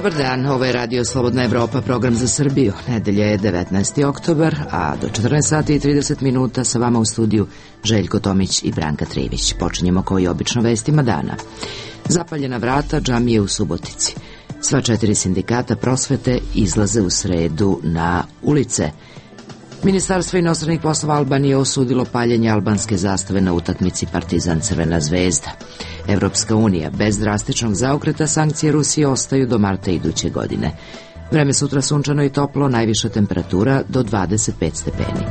Dobar dan, ovo je Radio Slobodna Evropa, program za Srbiju. Nedelja je 19. oktobar, a do 14 sati i 30 minuta sa vama u studiju Željko Tomić i Branka Trivić. Počinjemo kao i obično vestima dana. Zapaljena vrata džamije u Subotici. Sva 4 sindikata prosvete izlaze u sredu na ulice. Ministarstvo inostranih poslova Albanije osudilo paljenje albanske zastave na utakmici Partizan-Crvena zvezda. Evropska unija, bez drastičnog zaokreta, sankcije Rusije ostaju do marta iduće godine. Vreme sutra sunčano i toplo, najviša temperatura do 25 stepeni.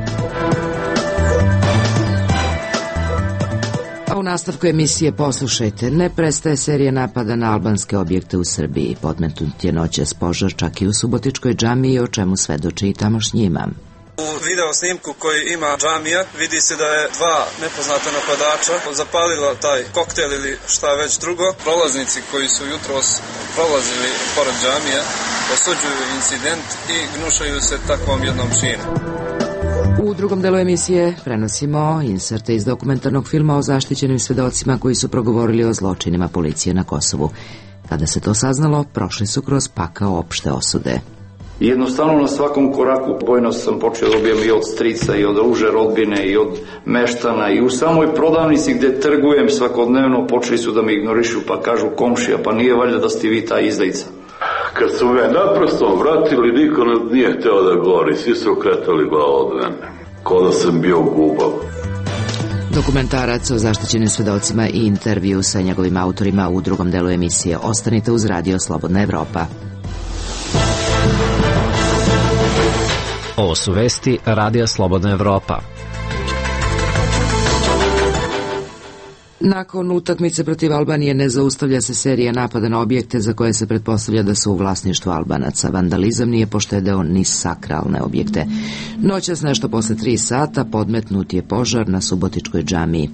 A u nastavku emisije poslušajte, ne prestaje serija napada na albanske objekte u Srbiji. Podmetnut je noćas požar čak i u Subotičkoj džamiji, o čemu svedoči i tamošnji imam. U video snimku koji ima džamija vidi se da je 2 nepoznata napadača zapalila taj koktel ili šta već drugo. Prolaznici koji su jutros prolazili pored džamije osuđuju incident i gnušaju se takvom jednom činu. U drugom delu emisije prenosimo inserte iz dokumentarnog filma o zaštićenim svedocima koji su progovorili o zločinima policije na Kosovu. Kada se to saznalo, prošli su kroz pakao opšte osude. Jednostavno na svakom koraku bojno sam počeo dobijem i od strica i od uže rodbine i od meštana i u samoj prodavnici gde trgujem svakodnevno počeli su da me ignorišu pa kažu komšija pa nije valjda da ste vi ta izdajica. Kad su me naprosto vratili niko nije hteo da govori, svi su okretali glavu od mene, kao da sam bio gubav. Dokumentarac o zaštićenim svedocima i intervju sa njegovim autorima u drugom delu emisije. Ostanite uz Radio Slobodna Evropa. Ovo su vesti Radija Slobodna Evropa. Nakon utakmice protiv Albanije ne zaustavlja se serija napada na objekte za koje se pretpostavlja da su u vlasništvu Albanaca. Vandalizam nije poštedeo ni sakralne objekte. Noćas nešto posle 3 sata podmetnut je požar na Subotičkoj džamiji.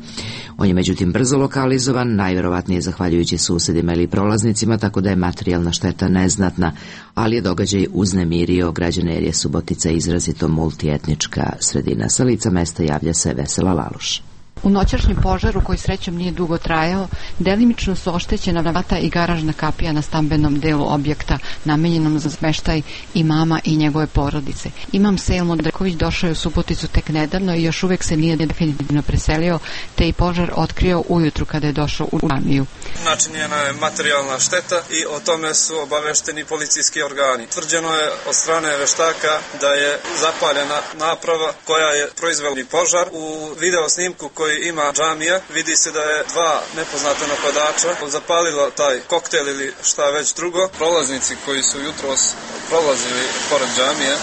On je međutim brzo lokalizovan, najverovatnije zahvaljujući susedima ili prolaznicima, tako da je materijalna šteta neznatna, ali je događaj uznemirio građane jer je Subotica izrazito multietnička sredina. Sa lica mesta javlja se Vesela Laluš. U noćašnjem požaru, koji srećom nije dugo trajao, delimično su oštećena vrata i garažna kapija na stambenom delu objekta namenjenom za smeštaj imama i njegove porodice. Imam Sejl Dreković došao je u Suboticu tek nedavno i još uvek se nije definitivno preselio, te i požar otkrio ujutru kada je došao u džamiju. Načinjena je materijalna šteta i o tome su obavešteni policijski organi. Tvrđeno je od strane veštaka da je zapaljena naprava koja je proizvela požar. U video snimku koji ima džamija vidi se da je 2 nepoznata napadača zapalila taj koktel ili šta već drugo. Prolaznici koji su jutros prolazili pored džamije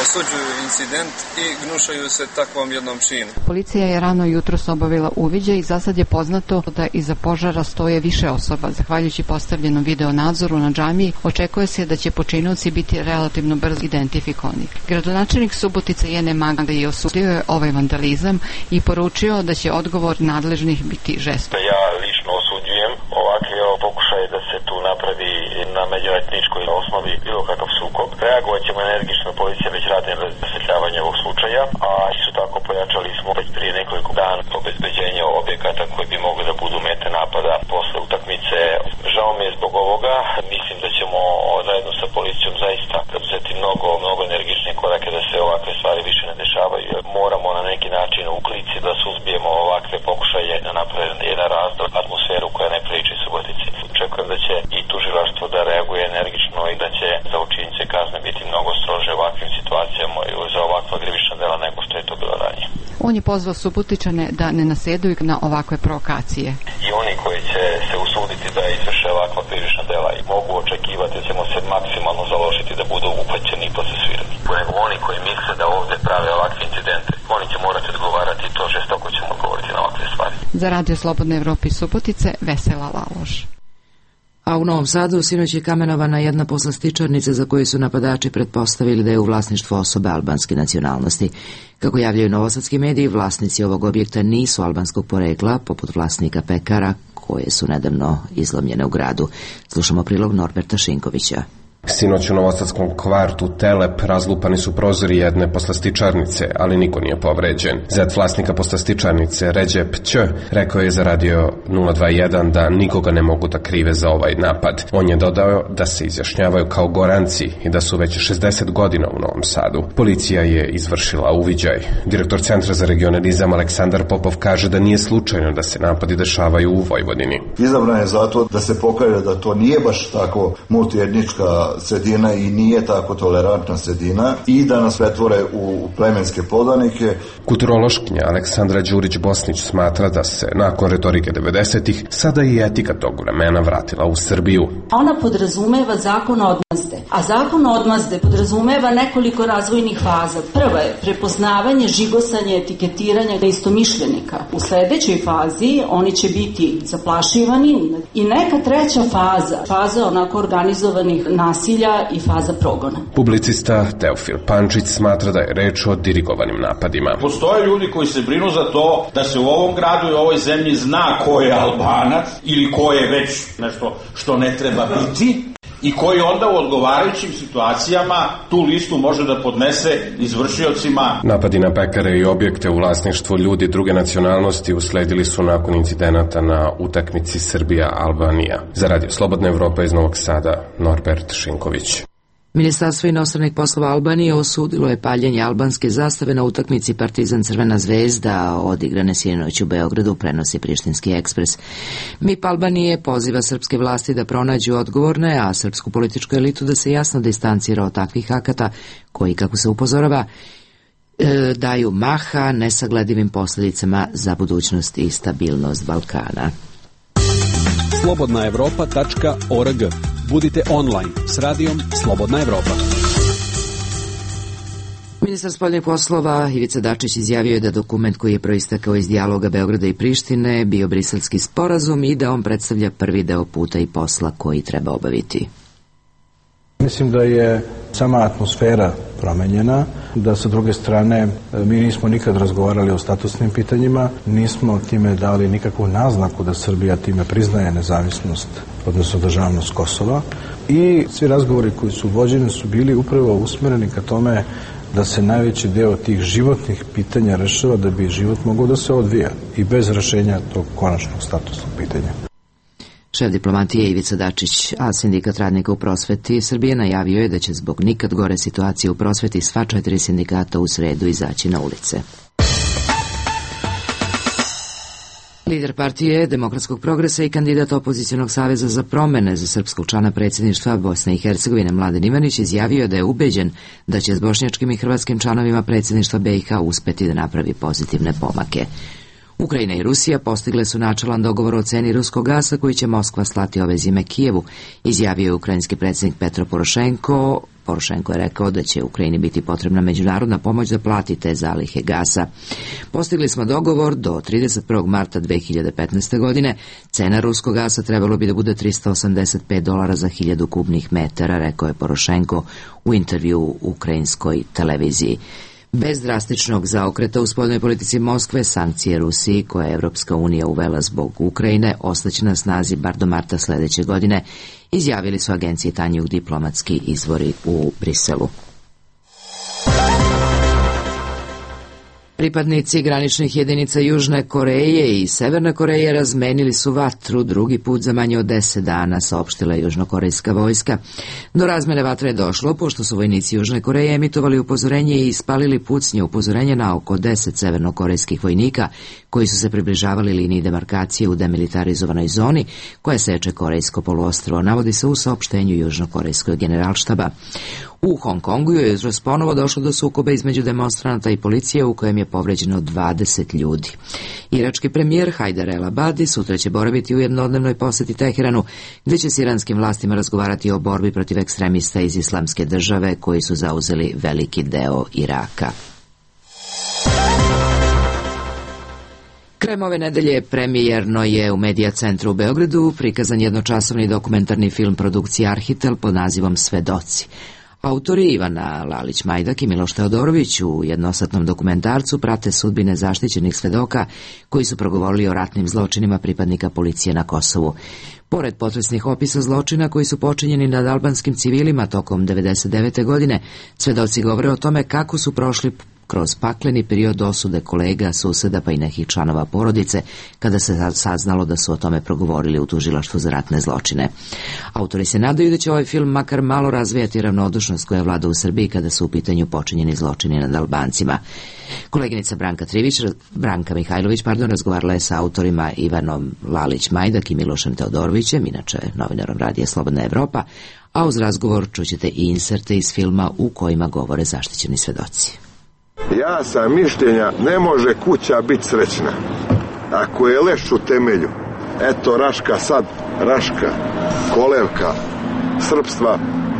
osuđuju incident i gnušaju se takvom jednom činu. Policija je rano jutros obavila uviđaj i za sad je poznato da iza požara stoje više osoba. Zahvaljujući postavljenom video nadzoru na džamiji, očekuje se da će počinioci biti relativno brzo identifikovani. Gradonačelnik Subotice Jene Magda je osudio je ovaj vandalizam i poručio da će odgovor nadležnih biti žestok. Ja lično osuđujem ovakve pokušaje da se tu napravi na međuetničkoj osnovi bilo kakav sukob. Reagovat ćemo energično, policija već radi na rasvetljavanju ovog slučaja, a isto tako pojačali smo već prije nekoliko dana obezbeđenje objekata koji bi mogli da budu mete napada posle utakmice. Žao mi je zbog ovoga, mislim da ćemo zajedno sa policijom zaista uzeti mnogo energične korake da se ovakve stvari više ne dešavaju. Moramo na neki način u klici da suzbijemo ovakve pokušaje da naprave jedan razdor, atmosferu koja ne priliči Subotici. Očekujem da će i tužilaštvo da reaguje energično i da će za učinjice kazne biti mnogo strože u ovakvim situacijama i za ovakva krivična dela nego što je to bilo ranije. On je pozvao Subotičane da ne nasedaju na ovakve provokacije. I oni koji će se usuditi da izvrše ovakva krivična dela i mogu očekivati da ćemo se maksimalno založiti da budu uhvaćeni i procesuirani. Nego oni koji misle da ovdje prave ovakve incidente, oni će morati odgovarati i to žestoko ćemo odgovoriti na ovakve stvari. Za Radio Slobodne Evrope i Subotice, Vesela Laloš. A u Novom Sadu sinoć je kamenovana jedna poslastičarnica za koju su napadači pretpostavili da je u vlasništvu osobe albanske nacionalnosti. Kako javljaju novosadski mediji, vlasnici ovog objekta nisu albanskog porekla, poput vlasnika pekara koje su nedavno izlomljene u gradu. Slušamo prilog Norberta Šinkovića. Sinoć u novosadskom kvartu Telep razlupani su prozori jedne poslastičarnice, ali niko nije povređen. Zet vlasnika poslastičarnice, Ređep Ć, rekao je za Radio 021 da nikoga ne mogu da krive za ovaj napad. On je dodao da se izjašnjavaju kao Goranci i da su već 60 godina u Novom Sadu. Policija je izvršila uviđaj. Direktor Centra za regionalizam Aleksandar Popov kaže da nije slučajno da se napadi dešavaju u Vojvodini. Izabran je zato da se pokaže da to nije baš tako multietnička sredina i nije tako tolerantna sredina i da nas pretvore u plemenske podanike. Kulturološkinja Aleksandra Đurić-Bosnić smatra da se nakon retorike 90-ih sada i etika tog vremena vratila u Srbiju. Ona podrazumeva zakon odmazde, a zakon odmazde podrazumeva nekoliko razvojnih faza. Prva je prepoznavanje, žigosanje, etiketiranje istomišljenika. U sledećoj fazi oni će biti zaplašivani i neka treća faza onako organizovanih nasilja i faza progona. Publicista Teofil Pančić smatra da je reč o dirigovanim napadima. Postoje ljudi koji se brinu za to da se u ovom gradu i ovoj zemlji zna ko je Albanac ili ko je već nešto što ne treba biti i koji onda u odgovarajućim situacijama tu listu može da podnese izvršiocima. Napadi na pekare i objekte u vlasništvu ljudi druge nacionalnosti usledili su nakon incidenata na utakmici Srbija-Albanija. Za Radio Slobodna Evropa iz Novog Sada, Norbert Šinković. Ministarstvo inostranih poslova Albanije osudilo je paljenje albanske zastave na utakmici Partizan Crvena zvezda odigrane sinoć u Beogradu, prenosi Prištinski ekspres. MIP Albanije poziva srpske vlasti da pronađu odgovorne, a srpsku političku elitu da se jasno distancira od takvih akata koji, kako se upozorava, daju maha nesagledivim posljedicama za budućnost i stabilnost Balkana. slobodnaevropa.org. Budite online s radijom Slobodna Evropa. Ministar spoljnih poslova Ivica Dačić izjavio je da dokument koji je proistekao iz dijaloga Beograda i Prištine bio briselski sporazum i da on predstavlja prvi deo puta i posla koji treba obaviti. Mislim da je sama atmosfera promenjena, da sa druge strane mi nismo nikad razgovarali o statusnim pitanjima, nismo time dali nikakvu naznaku da Srbija time priznaje nezavisnost, odnosno državnost Kosova, i svi razgovori koji su vođeni su bili upravo usmereni ka tome da se najveći deo tih životnih pitanja rešava da bi život mogao da se odvija i bez rešenja tog konačnog statusnog pitanja. Šef diplomatije Ivica Dačić, a sindikat radnika u prosveti Srbije najavio je da će zbog nikad gore situacije u prosveti sva 4 sindikata u sredu izaći na ulice. Lider partije Demokratskog progresa i kandidat opozicionog saveza za promene za srpskog člana predsjedništva Bosne i Hercegovine Mladen Ivanić izjavio da je ubeđen da će s bošnjačkim i hrvatskim članovima predsjedništva BiH uspeti da napravi pozitivne pomake. Ukrajina i Rusija postigle su načelan dogovor o ceni ruskog gasa koji će Moskva slati ove zime Kijevu, izjavio je ukrajinski predsjednik Petro Porošenko. Porošenko je rekao da će Ukrajini biti potrebna međunarodna pomoć da plati te zalihe gasa. Postigli smo dogovor do 31. marta 2015. godine. Cena ruskog gasa trebalo bi da bude $385 za 1000 kubnih metara, rekao je Porošenko u intervju u ukrajinskoj televiziji. Bez drastičnog zaokreta u spoljnoj politici Moskve, sankcije Rusiji, koje je Evropska unija uvela zbog Ukrajine, ostaće na snazi bar do marta sledeće godine, izjavili su agencije Tanjug diplomatski izvori u Briselu. Pripadnici graničnih jedinica Južne Koreje i Severne Koreje razmenili su vatru drugi put za manje od 10 dana, saopštila je južnokorejska vojska. Do razmene vatre je došlo pošto su vojnici Južne Koreje emitovali upozorenje i ispalili pucnje upozorenja na oko 10 severnokorejskih vojnika koji su se približavali liniji demarkacije u demilitarizovanoj zoni koja seče Korejsko poluostrvo, navodi se u saopštenju južnokorejskog generalštaba. U Hong Kongu je jutros ponovo došlo do sukoba između demonstranata i policije u kojem je povređeno 20 ljudi. Irački premijer Hajder El Abadi sutra će boraviti u jednodnevnoj poseti Teheranu, gdje će s iranskim vlastima razgovarati o borbi protiv ekstremista iz Islamske države koji su zauzeli veliki deo Iraka. Krajem ove nedelje premijerno je u Medija centru u Beogradu prikazan jednočasovni dokumentarni film produkcije Arhitel pod nazivom Svedoci. Autori Ivana Lalić-Majdak i Miloš Teodorović u jednosatnom dokumentarcu prate sudbine zaštićenih svedoka koji su progovorili o ratnim zločinima pripadnika policije na Kosovu. Pored potresnih opisa zločina koji su počinjeni nad albanskim civilima tokom 1999. godine, svedoci govore o tome kako su prošli kroz pakleni period osude kolega, suseda pa i nekih članova porodice kada se saznalo da su o tome progovorili u tužilaštvu za ratne zločine. Autori se nadaju da će ovaj film makar malo razvijati ravnodušnost koja vlada u Srbiji kada su u pitanju počinjeni zločini nad Albancima. Koleginica Branka Mihajlović razgovarala je sa autorima Ivanom Lalić-Majdak i Milošem Teodorovićem, inače novinarom radija Slobodna Evropa, a uz razgovor čućete i inserte iz filma u kojima govore zaštićeni svedoci. Ja sam mišljenja, ne može kuća biti srećna ako je leš u temelju. Eto Raška sad, Raška, kolevka, srpstva,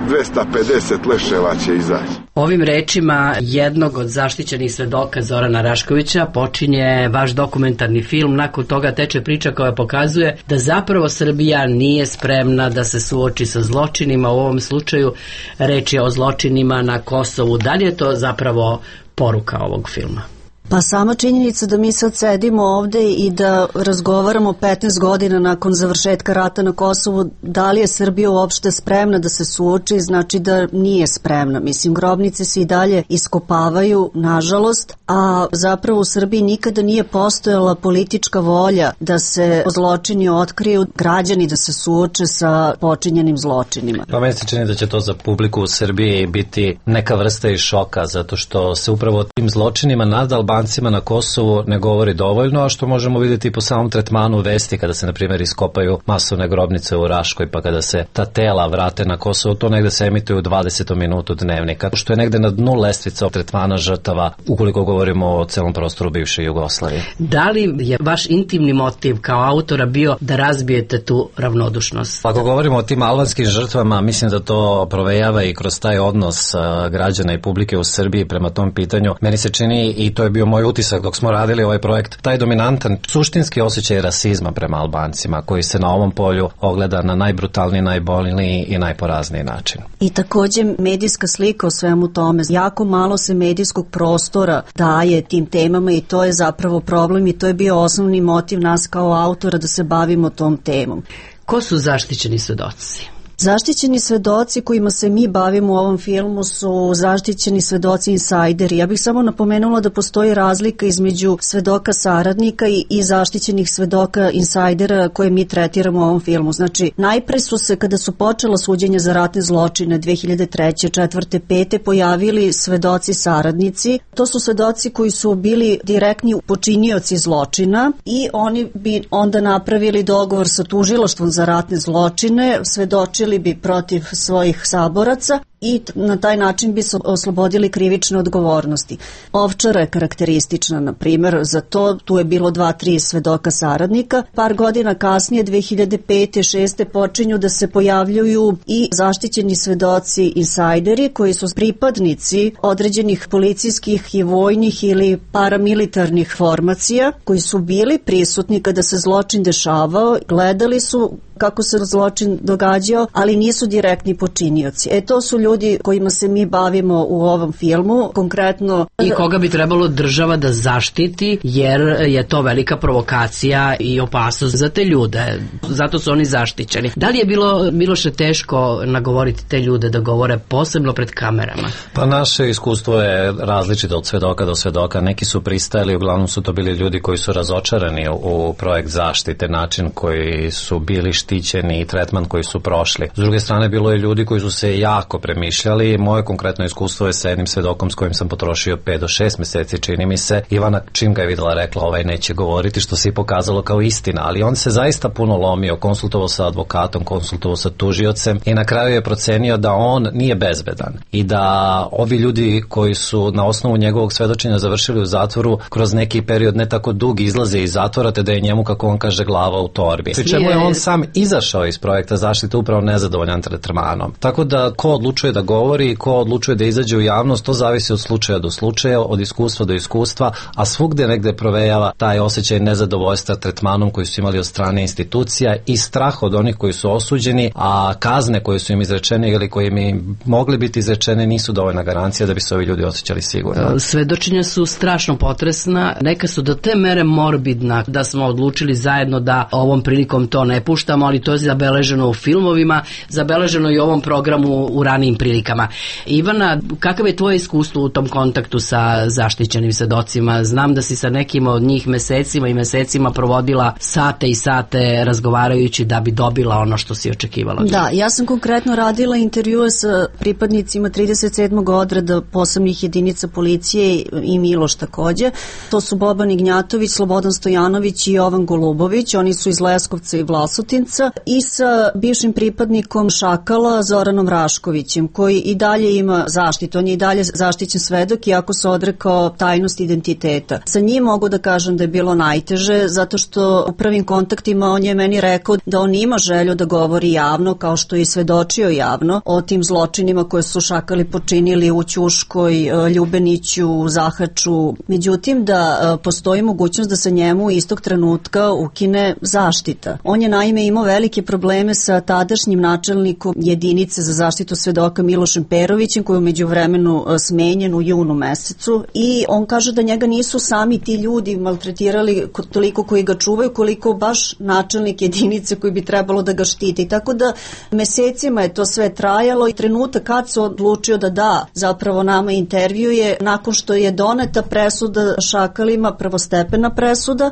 250 leševa će izaći. Ovim rečima jednog od zaštićenih svedoka Zorana Raškovića počinje vaš dokumentarni film. Nakon toga teče priča koja pokazuje da zapravo Srbija nije spremna da se suoči sa zločinima. U ovom slučaju reč je o zločinima na Kosovu. Da li je to zapravo poruka ovog filma? Pa sama činjenica da mi sad sedimo ovde i da razgovaramo 15 godina nakon završetka rata na Kosovu, da li je Srbija uopšte spremna da se suoči, znači da nije spremna. Mislim, grobnice se i dalje iskopavaju, nažalost, a zapravo u Srbiji nikada nije postojala politička volja da se zločini otkriju, građani da se suoče sa počinjenim zločinima. Pa meni se čini da će to za publiku u Srbiji biti neka vrsta i šoka, zato što se upravo o tim zločinima nad Albancima na Kosovu ne govori dovoljno, a što možemo vidjeti i po samom tretmanu vesti kada se, na primjer, iskopaju masovne grobnice u Raškoj, pa kada se ta tela vrate na Kosovo, to negde se emituje u 20. minutu dnevnika, što je negde na dnu lestvica tretmana žrtava, ukoliko govorimo o celom prostoru bivše Jugoslavije. Da li je vaš intimni motiv kao autora bio da razbijete tu ravnodušnost? Ako govorimo o tim albanskim žrtvama, mislim da to provejava i kroz taj odnos građana i publike u Srbiji prema tom pitanju. Meni se čini, i to je bio moj utisak dok smo radili ovaj projekt, taj dominantan suštinski osjećaj rasizma prema Albancima koji se na ovom polju ogleda na najbrutalniji, najbolniji i najporazniji način. I također medijska slika o svemu tome. Jako malo se medijskog prostora daje tim temama i to je zapravo problem i to je bio osnovni motiv nas kao autora da se bavimo tom temom. Ko su zaštićeni svedoci? Zaštićeni svedoci kojima se mi bavimo u ovom filmu su zaštićeni svedoci insajderi. Ja bih samo napomenula da postoji razlika između svedoka saradnika i zaštićenih svedoka insajdera koje mi tretiramo u ovom filmu. Znači, najpre su se, kada su počela suđenja za ratne zločine 2003. 4. 5. pojavili svedoci saradnici. To su svedoci koji su bili direktni počinioci zločina i oni bi onda napravili dogovor sa tužilaštvom za ratne zločine, svedočili bi protiv svojih saboraca i na taj način bi se oslobodili krivične odgovornosti. Ovčara je karakteristična, na primjer, za to. Tu je bilo 2-3 svedoka saradnika. Par godina kasnije, 2005. 6. počinju da se pojavljuju i zaštićeni svedoci insajderi koji su pripadnici određenih policijskih i vojnih ili paramilitarnih formacija koji su bili prisutni kada se zločin dešavao, gledali su kako se zločin događao, ali nisu direktni počinioci. To su ljudi kojima se mi bavimo u ovom filmu, konkretno. I koga bi trebalo država da zaštiti, jer je to velika provokacija i opasnost za te ljude. Zato su oni zaštićeni. Da li je bilo, Miloše, teško nagovoriti te ljude da govore posebno pred kamerama? Pa naše iskustvo je različito od svedoka do svedoka. Neki su pristajali, uglavnom su to bili ljudi koji su razočarani u projekt zaštite, način koji su bili štićeni i tretman koji su prošli. S druge strane, bilo je ljudi koji su se jako premišljali. Moje konkretno iskustvo je sa jednim svedokom s kojim sam potrošio 5 do 6 meseci, čini mi se. Ivana, čim ga je videla, rekla ovaj neće govoriti, što se i pokazalo kao istina, ali on se zaista puno lomio, konsultovao sa advokatom, konsultovao sa tužiocem i na kraju je procenio da on nije bezbedan i da ovi ljudi koji su na osnovu njegovog svedočenja završili u zatvoru kroz neki period ne tako dug izlaze iz zatvora, te da je njemu, kako on kaže, glava u torbi. Pri čemu je on sam izašao iz projekta zaštite upravo nezadovoljan tretmanom. Tako da ko odlučuje odlučuje da govori i ko odlučuje da izađe u javnost, to zavisi od slučaja do slučaja, od iskustva do iskustva, a svugde negde provejava taj osjećaj nezadovoljstva tretmanom koji su imali od strane institucija i strah od onih koji su osuđeni, a kazne koje su im izrečene ili koje im mogli biti izrečene nisu dovoljna garancija da bi se ovi ljudi osjećali sigurno. Svedočenja su strašno potresna, neka su do te mere morbidna da smo odlučili zajedno da ovom prilikom to ne puštamo, ali to je zabeleženo u filmovima, zabeleženo i u ovom programu u ranijim prilikama. Ivana, kakav je tvoje iskustvo u tom kontaktu sa zaštićenim svedocima? Znam da si sa nekim od njih mesecima i mesecima provodila sate i sate razgovarajući da bi dobila ono što si očekivala. Da, ja sam konkretno radila intervjue sa pripadnicima 37. odreda posebnih jedinica policije i Miloš takođe. To su Boban Ignjatović, Slobodan Stojanović i Jovan Golubović, oni su iz Leskovca i Vlasotinca, i sa bivšim pripadnikom Šakala Zoranom Raškovićem, koji i dalje ima zaštitu, on je i dalje zaštićen svedok iako se odrekao tajnost identiteta. Sa njim mogu da kažem da je bilo najteže, zato što u prvim kontaktima on je meni rekao da on ima želju da govori javno, kao što je i svedočio javno o tim zločinima koje su Šakali počinili u Ćuškoj, Ljubeniću, Zahaču. Međutim, da postoji mogućnost da se njemu istog trenutka ukine zaštita. On je naime imao velike probleme sa tadašnjim načelnikom jedinice za zaštitu svedoka Milošem Perovićem, koji je umeđu vremenu smenjen u junu mesecu, i on kaže da njega nisu sami ti ljudi maltretirali toliko koji ga čuvaju, koliko baš načelnik jedinice koji bi trebalo da ga štiti. Tako da mesecima je to sve trajalo i trenutak kad se odlučio da zapravo nama intervju je nakon što je doneta presuda Šakalima, prvostepena presuda,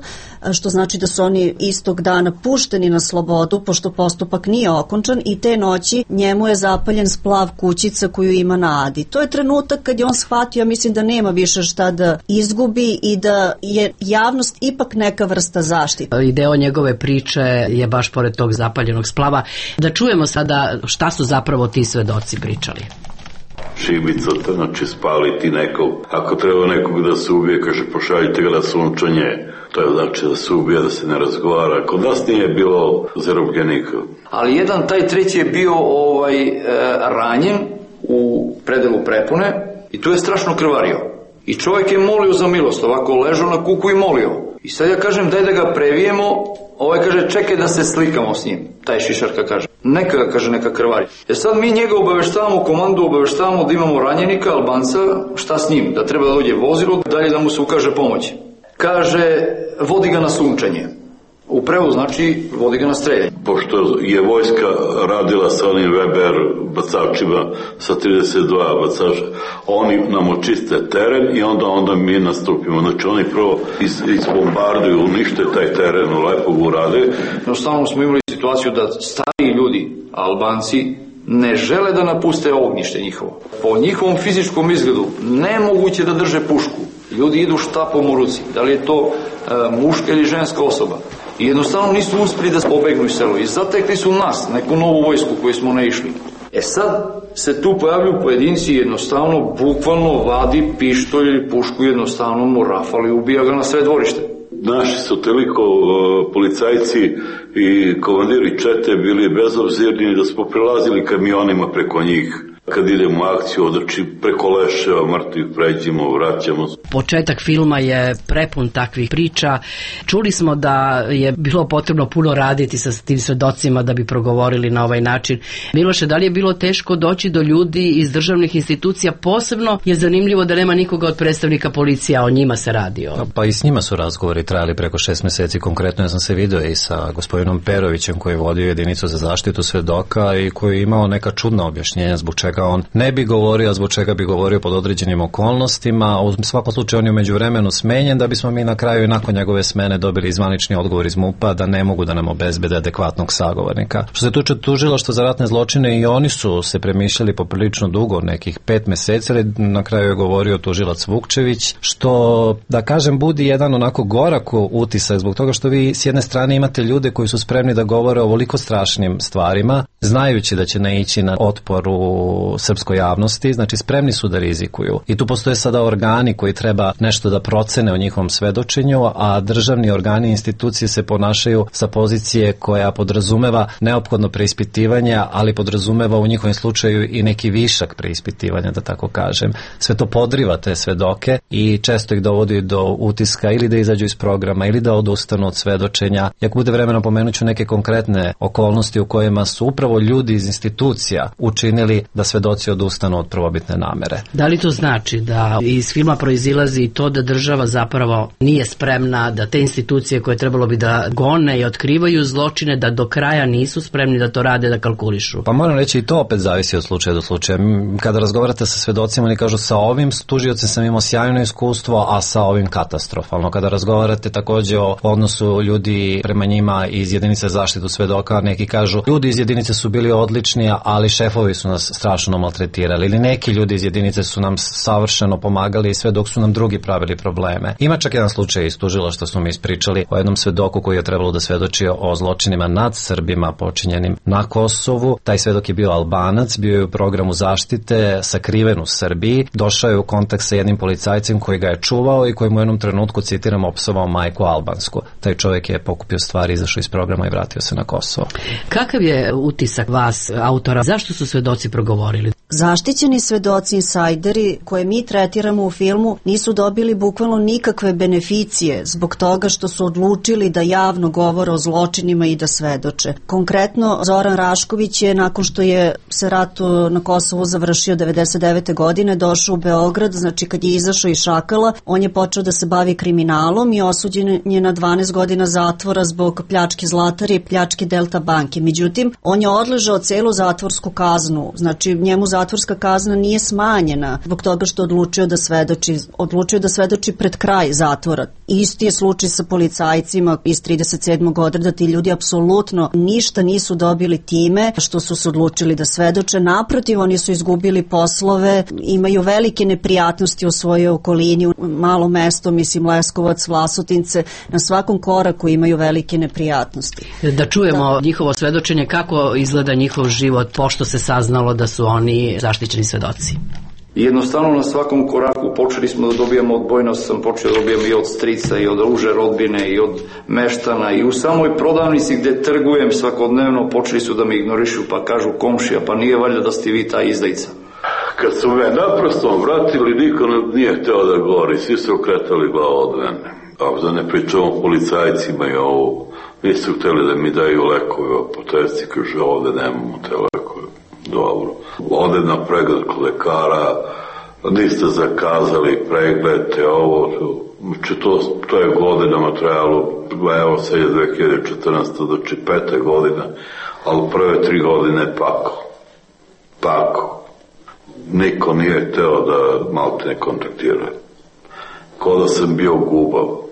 što znači da su oni istog dana pušteni na slobodu, pošto postupak nije okončan, i te noći njemu je zapaljen splav kućica koju ima na Adi. To je trenutak kad je on shvatio, ja mislim da nema više šta da izgubi i da je javnost ipak neka vrsta zaštite. I deo njegove priče je baš pored tog zapaljenog splava. Da čujemo sada šta su zapravo ti svedoci pričali. Šibica, znači spaliti nekog. Ako treba nekog da se ubije, kaže pošaljite ga na sunčanje. To je znači da se ubije, da se ne razgovara. Kod nas nije bilo zarobljenika. Ali jedan, taj treći je bio ranjen u predelu prepone i tu je strašno krvario. I čovjek je molio za milost, ovako ležao na kuku i molio. I sad ja kažem daj da ga previjemo, kaže čekaj da se slikamo s njim, taj Šišarka kaže. Neka ga, kaže, neka krvari. Sad mi njega obaveštavamo, komandu obaveštavamo da imamo ranjenika, Albanca, šta s njim, da treba da dođe vozilo, dalje da mu se ukaže pomoć. Kaže, vodi ga na sunčanje. U prevodu znači vodi ga na streljanje. Pošto je vojska radila sa onim Weber bacačima, sa 32 bacača, oni nam očiste teren i onda mi nastupimo. Znači oni prvo izbombarduju, unište taj teren, lepo ga urade. Jednostavno smo imali situaciju da stariji ljudi, Albanci, ne žele da napuste ognjište njihovo. Po njihovom fizičkom izgledu nemoguće da drže pušku. Ljudi idu štapom u ruci. Da li je to muška ili ženska osoba? I jednostavno nisu uspeli da pobegnu iz selo. I zatekli su nas, neku novu vojsku koju smo ne išli. Sad se tu pojavljuju pojedinci, jednostavno, bukvalno vadi pištolj ili pušku, jednostavno mu rafali i ubija ga na sve dvorište. Naši su toliko policajci i komandiri čete bili bezobzirni da smo prelazili kamionima preko njih. Kad idemo u akciju, odrači preko leševa, mrtvih pređimo, vraćamo. Početak filma je prepun takvih priča. Čuli smo da je bilo potrebno puno raditi sa tim svedocima da bi progovorili na ovaj način. Miloše, da li je bilo teško doći do ljudi iz državnih institucija? Posebno je zanimljivo da nema nikoga od predstavnika policija, o njima se radi. Pa i s njima su razgovori trajali preko 6 meseci. Konkretno ja sam se video i sa gospodinom Perovićem koji je vodio jedinicu za zaštitu svedoka i koji je imao neka čudna objašnjenja zbog čega on ne bi govorio, a zbog čega bi govorio pod određenim okolnostima. U svakom slučaju on je u međuvremenu smenjen, da bismo mi na kraju i nakon njegove smene dobili zvanični odgovor iz MUP-a da ne mogu da nam obezbede adekvatnog sagovornika. Što se tuče tužilaštva za ratne zločine, i oni su se premišljali poprilično dugo, nekih 5 meseci, ali na kraju je govorio tužilac Vukčević, što, da kažem, budi jedan onako gorak utisak, zbog toga što vi s jedne strane imate ljude koji su spremni da govore o ovoliko strašnim stvarima, znajući da će naići na otpor u srpskoj javnosti, znači spremni su da rizikuju. I tu postoje sada organi koji treba nešto da procene o njihovom svedočenju, a državni organi i institucije se ponašaju sa pozicije koja podrazumeva neophodno preispitivanje, ali podrazumeva u njihovom slučaju i neki višak preispitivanja, da tako kažem. Sve to podriva te svedoke i često ih dovodi do utiska ili da izađu iz programa ili da odustanu od svedočenja. Ako bude vremena, pomenuću neke konkretne okolnosti u kojima su upravo ljudi iz institucija učinili da svedoci odustanu od prvobitne namere. Da li to znači da iz filma proizilazi i to da država zapravo nije spremna, da te institucije koje trebalo bi da gone i otkrivaju zločine, da do kraja nisu spremni da to rade, da kalkulišu? Pa moram reći, i to opet zavisi od slučaja do slučaja. Kada razgovarate sa svedocima, oni kažu sa ovim tužiocem sam imao sjajno iskustvo, a sa ovim katastrofalno. Kada razgovarate takođe o odnosu ljudi prema njima iz jedinice zaštitu svedoka, neki kažu ljudi iz jedinice su bili odlični, ali šefovi su nas strašno maltretirali, ili neki ljudi iz jedinice su nam savršeno pomagali sve dok su nam drugi pravili probleme. Ima čak jedan slučaj iz tužilaštva, što smo mi ispričali o jednom svedoku koji je trebalo da svedoči o zločinima nad Srbima počinjenim na Kosovu. Taj svedok je bio Albanac, bio je u programu zaštite, sakriven u Srbiji, došao je u kontakt sa jednim policajcem koji ga je čuvao i koji mu u jednom trenutku, citiram, opsovao majku albansku. Taj čovjek je pokupio stvari, izašao iz programa i vratio se na Kosovo. Kakav je utisak vas, autora? Zašto su svedoci progovorili? Zaštićeni svedoci, insajderi koje mi tretiramo u filmu nisu dobili bukvalno nikakve beneficije zbog toga što su odlučili da javno govore o zločinima i da svedoče. Konkretno, Zoran Rašković je, nakon što je se rat na Kosovu završio 99. godine, došao u Beograd, znači kad je izašao iz Šakala, on je počeo da se bavi kriminalom i osuđen je na 12 godina zatvora zbog pljačke Zlatari i pljačke Delta banke. Međutim, on je odležao celu zatvorsku kaznu, znači njemu zatvorska kazna nije smanjena zbog toga što odlučio da svedoči pred kraj zatvora. Isti je slučaj sa policajcima iz 37. odreda, ti ljudi apsolutno ništa nisu dobili time što su se odlučili da svedoče. Naprotiv, oni su izgubili poslove, imaju velike neprijatnosti u svojoj okolini, u malo mesto, mislim Leskovac, Vlasotince, na svakom koraku imaju velike neprijatnosti. Da čujemo njihovo svedočenje, kako izgleda njihov život pošto se saznalo da su oni zaštićeni svedoci. Jednostavno na svakom koraku počeli smo da dobijamo odbojnost, sam počeo da dobijam i od strica i od uže rodbine i od meštana i u samoj prodavnici gde trgujem svakodnevno počeli su da me ignorišu, pa kažu komšija, pa nije valjda da ste vi ta izdajica. Kad su me naprosto vratili, niko nije hteo da govori, svi su okretali glavu od mene. A da ne pričamo policajcima i ovo, nisu hteli da mi daju lekove o potresci, kaže ovde nemamo te lekove. Dobro. Ode na pregled kod lekara, niste zakazali pregled, ovo, to je godinama trajalo, evo sad je 2014. znači 5. godina, ali prve 3 godine pako. Niko nije hteo da malo te ne kontaktira. Ko da sam bio gubav.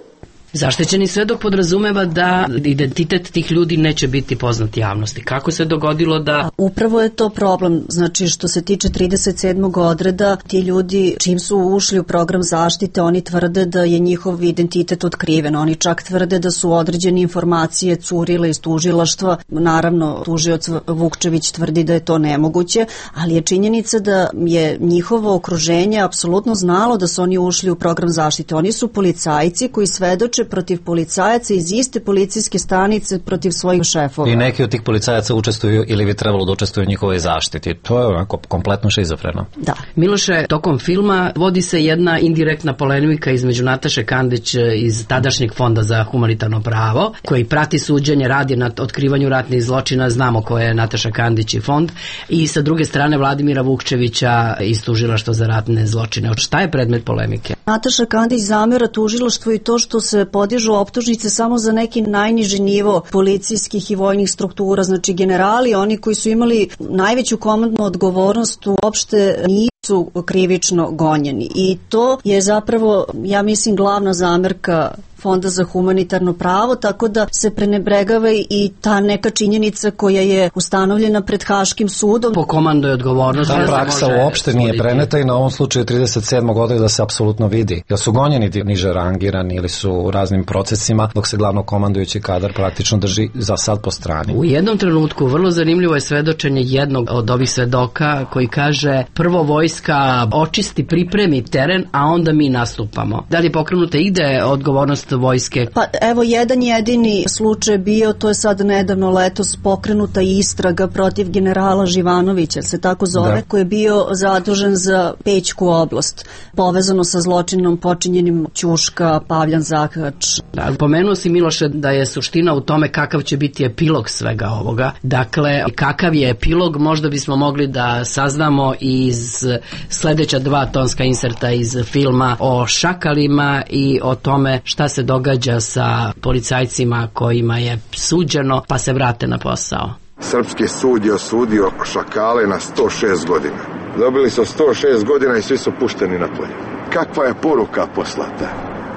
Zaštićeni svedok podrazumeva da identitet tih ljudi neće biti poznat javnosti. Kako se dogodilo da... Upravo je to problem. Znači, što se tiče 37. odreda, ti ljudi, čim su ušli u program zaštite, oni tvrde da je njihov identitet otkriven. Oni čak tvrde da su određene informacije curile iz tužilaštva. Naravno, tužioc Vukčević tvrdi da je to nemoguće, ali je činjenica da je njihovo okruženje apsolutno znalo da su oni ušli u program zaštite. Oni su policajci koji svedoče protiv policajaca iz iste policijske stanice protiv svojih šefova. I neki od tih policajaca učestvuju ili bi trebalo da učestvuju u njihovoj zaštiti. To je onako kompletno šizofreno. Da. Miloše, tokom filma vodi se jedna indirektna polemika između Nataše Kandić iz tadašnjeg Fonda za humanitarno pravo, koji prati suđenje, radi na otkrivanju ratnih zločina, znamo ko je Nataša Kandić i fond, i sa druge strane Vladimira Vukčevića iz tužilaštva za ratne zločine. Šta je predmet polemike? Nataša Kandić zamera tužilaštvu i to što se podižu optužnice samo za neki najniži nivo policijskih i vojnih struktura, znači generali, oni koji su imali najveću komandnu odgovornost, uopšte nisu krivično gonjeni. I to je zapravo, ja mislim, glavna zamerka Fonda za humanitarno pravo, tako da se prenebregava i ta neka činjenica koja je ustanovljena pred Haškim sudom. Po komando je odgovornost. Ta praksa uopšte nije preneta i na ovom slučaju 37. godine da se apsolutno vidi. Jel su gonjeni niže rangirani ili su u raznim procesima, dok se glavno komandujući kadar praktično drži za sad po strani. U jednom trenutku vrlo zanimljivo je svedočenje jednog od ovih svedoka koji kaže prvo vojska očisti, pripremi teren, a onda mi nastupamo. Da li je pokrenuta ide odgovornost vojske? Pa evo jedan jedini slučaj bio, to je sad nedavno letos pokrenuta istraga protiv generala Živanovića, se tako zove, koji je bio zadužen za Pećku oblast, povezano sa zločinom počinjenim Ćuška, Pavljan Zakač. Da, pomenuo si Miloše da je suština u tome kakav će biti epilog svega ovoga. Dakle, kakav je epilog možda bismo mogli da saznamo iz sledeća 2 tonska inserta iz filma o šakalima i o tome šta se događa sa policajcima kojima je suđeno pa se vrate na posao. Srpski sud je osudio šakale na 106 godina. Dobili su 106 godina i svi su pušteni na polje. Kakva je poruka poslata?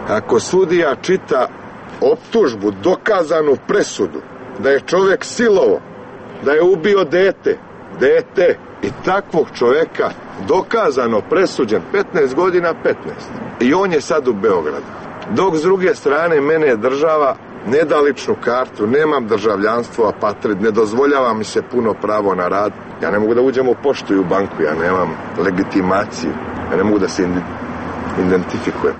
Ako sudija čita optužbu, dokazanu presudu, da je čovjek silovo, da je ubio dete i takvog čovjeka dokazano presuđen 15 godina, 15. I on je sad u Beogradu. Dok s druge strane mene je država ne da ličnu kartu, nemam državljanstvo, apatrid, ne dozvoljava mi se puno pravo na rad. Ja ne mogu da uđem u poštu i u banku, ja nemam legitimaciju, ja ne mogu da se identifikujem.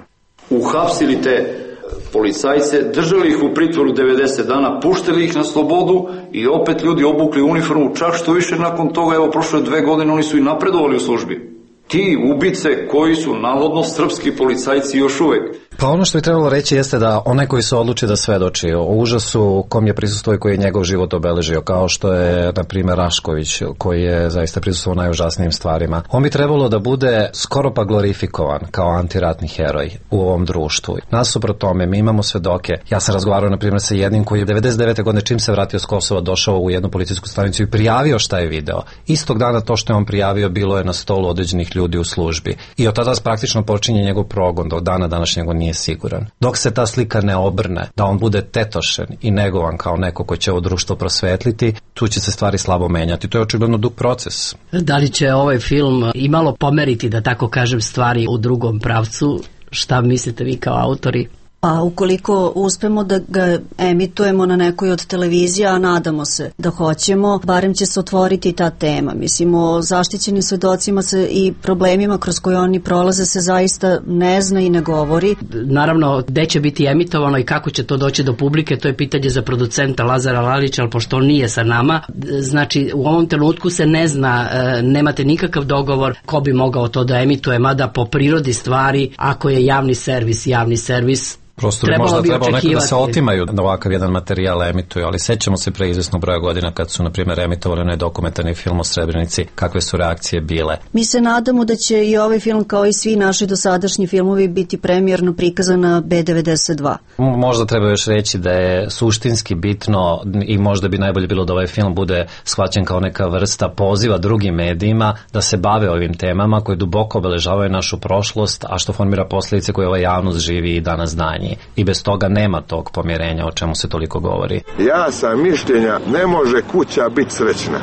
Uhapsili te policajce, držali ih u pritvoru 90 dana, puštili ih na slobodu i opet ljudi obukli uniformu, čak što više nakon toga, evo prošle 2 godine, oni su i napredovali u službi. Ti ubice koji su navodno srpski policajci još uvek. Pa ono što bi trebalo reći jeste da onaj koji se odluči da svedoči o užasu kom je prisustuo i koji je njegov život obeležio, kao što je, na primjer, Rašković, koji je zaista prisustvovao najužasnijim stvarima, on bi trebalo da bude skoro pa glorifikovan kao antiratni heroj u ovom društvu. Nasuprot tome, mi imamo svedoke. Ja sam razgovarao, na primjer, sa jednim koji je 99. godine, čim se vratio s Kosova, došao u jednu policijsku stanicu i prijavio šta je video. Istog dana to što je on prijavio bilo je na stolu određenih ljudi u službi. I od tada praktično počinje njegov progon, do dana današnjeg nije siguran. Dok se ta slika ne obrne, da on bude tetošen i negovan kao neko ko će ovo društvo prosvetliti, tu će se stvari slabo menjati. To je očigledno dug proces. Da li će ovaj film imalo pomeriti, da tako kažem, stvari u drugom pravcu? Šta mislite vi kao autori? Pa ukoliko uspemo da ga emitujemo na nekoj od televizija, a nadamo se da hoćemo, barem će se otvoriti ta tema. Mislim, o zaštićenim svedocima se i problemima kroz koje oni prolaze se zaista ne zna i ne govori. Naravno, gde će biti emitovano i kako će to doći do publike, to je pitanje za producenta Lazara Lalića, ali pošto on nije sa nama, znači u ovom trenutku se ne zna, nemate nikakav dogovor ko bi mogao to da emituje, mada po prirodi stvari, ako je javni servis, prosto bi možda trebalo neko da se otimaju da ovakav jedan materijal emituju, ali sećamo se pre izvesnog broja godina kad su, na primjer, emitovali onaj dokumentarni film o Srebrenici, kakve su reakcije bile. Mi se nadamo da će i ovaj film, kao i svi naši dosadašnji filmovi, biti premijerno prikazan na B92. Možda treba još reći da je suštinski bitno i možda bi najbolje bilo da ovaj film bude shvaćen kao neka vrsta poziva drugim medijima da se bave ovim temama koje duboko obeležavaju našu prošlost, a što formira posljedice koje ova javnost živi i danas danje. I bez toga nema tog pomirenja o čemu se toliko govori. Ja sam mišljenja, ne može kuća biti srećna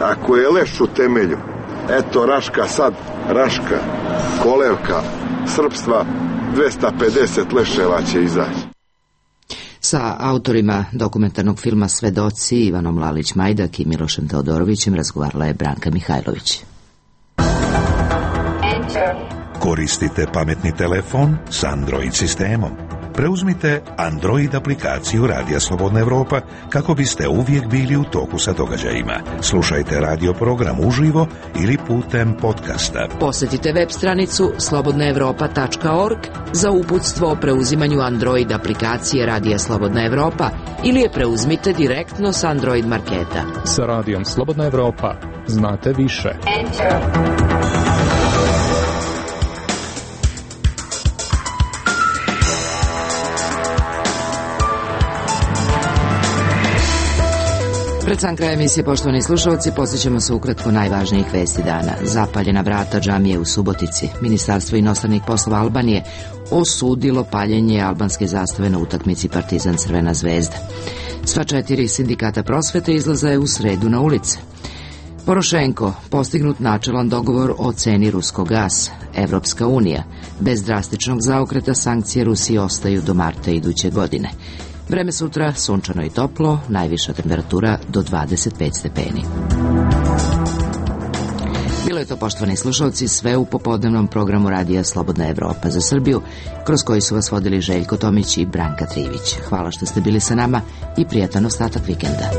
ako je leš u temelju. Eto Raška sad, Raška, kolevka srpstva, 250 leševa će izaći. Sa autorima dokumentarnog filma Svedoci, Ivanom Lalić-Majdak i Milošem Teodorovićem, razgovarala je Branka Mihajlović. Koristite pametni telefon s Android sistemom. Preuzmite Android aplikaciju Radija Slobodna Evropa kako biste uvijek bili u toku sa događajima. Slušajte radio program uživo ili putem podcasta. Posjetite web stranicu slobodnaevropa.org za uputstvo o preuzimanju Android aplikacije Radija Slobodna Evropa ili je preuzmite direktno s Android marketa. Sa Radijom Slobodna Evropa znate više. Pred sam kraj emisije, poštovani slušalci, posjećamo se ukratko najvažnijih vesti dana. Zapaljena vrata džamije u Subotici. Ministarstvo inostranih poslova Albanije osudilo paljenje albanske zastave na utakmici Partizan Crvena zvezda. Sva 4 sindikata prosvete izlaze u sredu na ulice. Porošenko, postignut načelan dogovor o ceni ruskog gasa. Evropska unija, bez drastičnog zaokreta sankcije Rusiji ostaju do marta iduće godine. Vreme sutra sunčano i toplo, najviša temperatura do 25 stepeni. Bilo je to, poštovani slušalci, sve u popodnevnom programu Radija Slobodna Evropa za Srbiju, kroz koji su vas vodili Željko Tomić i Branka Trivić. Hvala što ste bili sa nama i prijatan ostatak vikenda.